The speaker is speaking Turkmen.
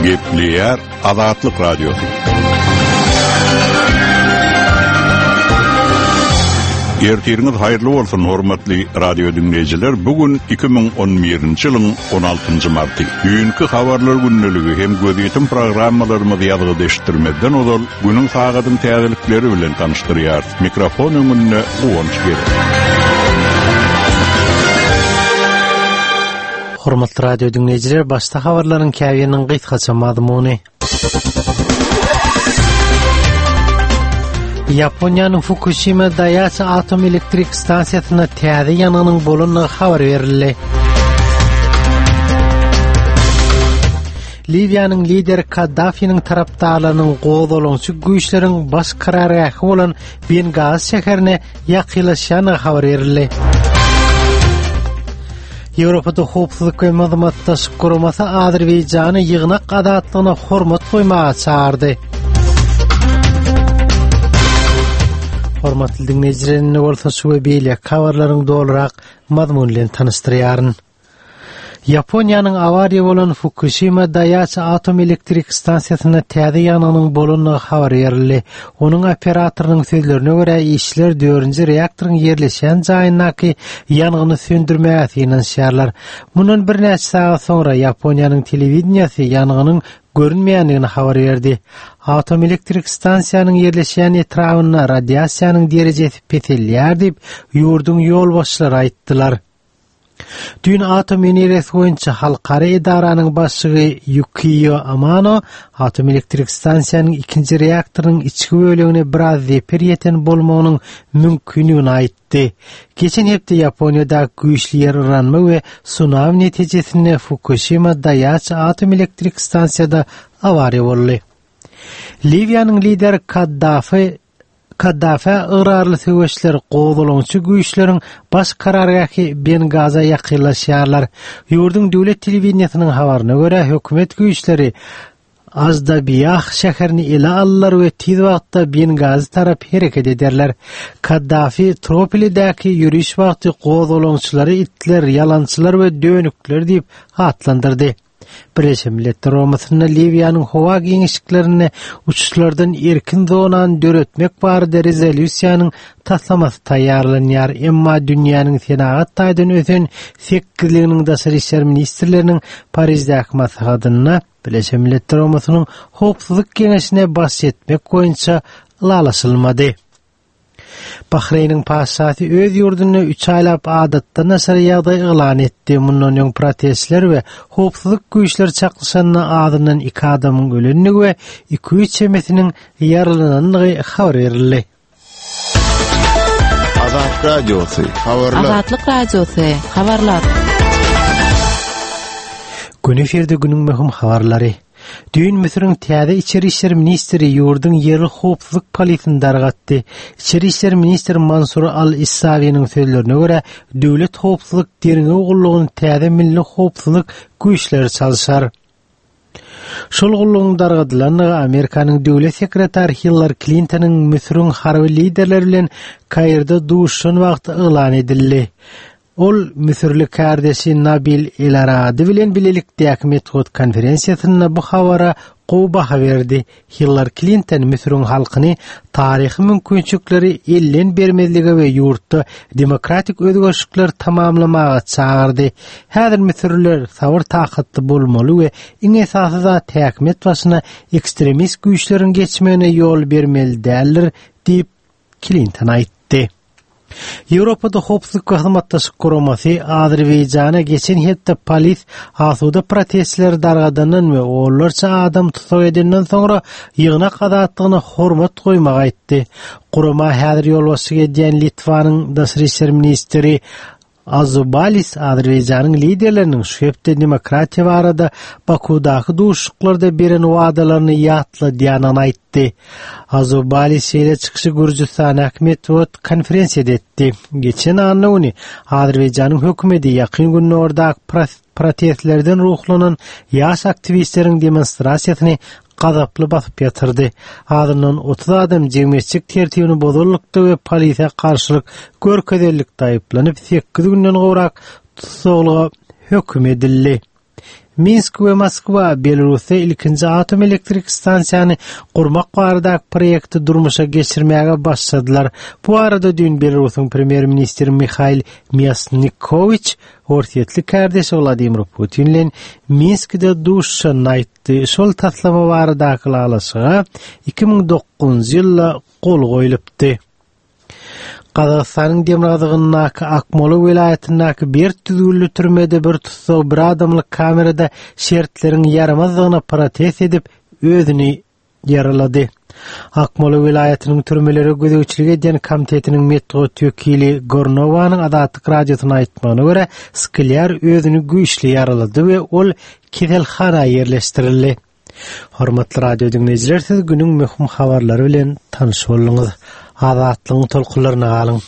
Gepleýär Azatlyk Radiosy. Ertiriňiz haýyrly bolsun, hormatly radio diňleýjiler. Bu gün 2011-nji ýylyň 16-njy marty. Düýnki habarlar gündeligi hem gözýetim programmalarymyzy ýazgyda eşitdirmezden ozal, günüň sagadyň täzelikleri bilen tanyşdyrýarys. Mikrofon öňünde Guwanç Gerek. Hormatly radio diňleýjiler, başda habarlaryň käbiriniň gysgaça mazmuny. Ýaponiýanyň Fukushima Daiichi atom elektrik stansiýasynda täze ýangynyň bolandygy habar berildi. Liwiýanyň lideri Kaddafiniň tarapdarlarynyň gozgalaňçy güýçleriň baş karargähi bolan Bengazi şäherine ýakynlaşýandygy habar berildi. Ýewropada howpsuzlyk we hyzmatdaşlyk guramasy Azerbaýjany ýygnak azatlygyna hormat goýmaga çagyrdy. Hormatly diňleýjiler, indi bolsa şu we beýleki habarlaryň dolurak mazmuny bilen tanyşdyrýaryn. Ýaponiýanyň awariýa bolan Fukuşima Daiichi atom elektrik stansiýasynda täze ýangynyň bolandygy habar berildi. Onuň operatorynyň sözlerine görä, işçiler dördünji reaktoryň ýerleşýän jaýyndaky ýangyny söndürmäge synanyşýarlar. Mundan birnäçe sagat soňra Ýaponiýanyň telewideniýesi ýangynyň görünmeýändigini habar berdi. Atom elektrik stansiýanyň ýerleşýän etrabynda radiasiýanyň derejesi peselýär diýip, ýurduň ýolbaşçylary aýtdylar. Düýn atom energiýasy boýunça halkara edaranyň başlygy Ýukiýo Amano atom elektrik stansiýanyň ikinji reaktorynyň içki bölegine biraz zeper ýeten bolmagynyň mümkindigini aýtdy. Geçen hepde Ýaponiýadaky güýçli ýer yranma we sunami netijesinde Fukuşima Daýaçi atom elektrik stansiýada awariýa boldy. Liwiýanyň lideri Kaddafi Kaddafä ygrarly söweşler gozgalaňçy güýçleriň baş karargähi Bengaza ýakynlaşýarlar. Ýurduň döwlet telewideniýesiniň habaryna görä, hökümet güýçleri Ajdabiýah şäherini ele aldylar we tiz wagtda Bengazi tarap hereket ederler. Kaddafi Tropolidäki ýöriş wagty gozgalaňçylary itler, ýalançylar we dönükler diýip atlandyrdy. Birleşen Milletler Guramasynda Liwiýanyň howa giňişliklerinde uçuşlardan erkin zonany döretmek barada rezolýusiýanyň taslamasy taýýarlanýar. Emma dünýäniň senagat taýdan ösen sekizliginiň daşary işler ministrleriniň Pariždäki maslahatynda Birleşen Milletler Guramasynyň Howpsuzlyk Geňeşine baş etmek boýunça ylalaşylmady. Bahreýniň patyşasy öz ýurdunda üç aýlap adatdan daşary ýagdaý yglan etdi. Mundan öň protestler we howpsuzlyk güýçleri çaknyşanda azyndan iki adamyň ölendigi we 200 çemesiniň ýaralanandygy habar berildi. Azatlyk Radiosy, habarlar. Azatlyk Radiosy, habarlar. Gün efirde günüň möhüm habarlary. Düýn Müsüriň täze içeri işler ministri ýurduň ýerli howpsuzlyk polisini dargatdy. Içeri işler ministri Mansur al-Issawiniň sözlerine görä, Döwlet howpsuzlyk derňew gullugyny täze milli howpsuzlyk güýçleri çalşar. Şol gullugyň dargadylandygy Amerikanyň döwlet sekretary Hillari Klintonyň Müsüriň harby liderleri bilen Kairde duşuşan wagty yglan edildi. Ol müsürli kärdeşi Nabil Elarady bilen bilelikdäki metbugat konferensiýasynda bu habara gowy baha berdi. Hillari Klinton Müsüriň halkyny taryhy mümkinçilikleri elden bermezlige we ýurtda demokratik özgerişlikleri tamamlamaga çagyrdy. Häzir müsürliler sabyr-takatly bolmaly we iň esasy zat häkimiýet başyna ekstremist güýçleriň geçmegine ýol bermeli däldir diýip, Klinton aýtdy. Ýewropada Howpsuzlyk we Hyzmatdaşlyk Guramasy Azerbaýjana geçen hepde polis asuda protestçileri dargadandan we onlarça adam tussag edenden soňra ýygnak azatlygyna hormat goýmagy aýtdy. Gurama häzir ýolbaşçylyk edýän Litwanyň daşary işler ministri Azubalis Azerbaýjanyň liderleriniň şu hepde demokratiýa barada Bakuwdaky duşuşyklarda beren wadalaryny ýatladýandygyny aýtdy. Azubalis şeýle çykyşy Gürjüstandaky metbugat konferensiýada etdi. Geçen anna güni Azerbaýjanyň hökümeti Ýakyn Gündogardaky protestlerden ruhlanan ýaş aktiwistleriň demonstrasiýasyny gazaply basyp ýatyrdy. Azyndan 30 adam jemgyýetçilik tertibini bozanlykda we polisiýa garşylyk görkezenlikde aýyplanyp, sekiz günden gowrak tussaglyga höküm edildi. Minsk we Moskwa Belarusda ilkinji atom elektrik stansiýany gurmak baradaky proýekti durmuşa geçirmäge başladylar. Bu barada düýn Belarusyň premýer-ministri Mihail Mýasnikowiç orsýetli kärdeşi Wladimir Putin bilen Minskide duşuşanyny aýtdy. Şol taslama baradaky ylalaşyga 2009-njy ýylda gol goýlupdy. Gazagystanyň demirgazygyndaky Akmola welaýatyndaky berk düzgünli türmede bir tussag bir adamlyk kamerada şertleriň ýaramazdygyna protest edip, özüni ýaralady. Akmola welaýatynyň türmelere gözegçilik edýän komitetiniň metbugat wekili Gornowanyň Azatlyk Radiosyna aýtmagyna görä, Sklýar özüni güýçli ýaralady we ol keselhana ýerleşdirildi. Hormatly radio diňleýjiler, siz günüň möhüm habarlary bilen tanyş bolduňyz. Azatlygyň tolkunlaryna galyň.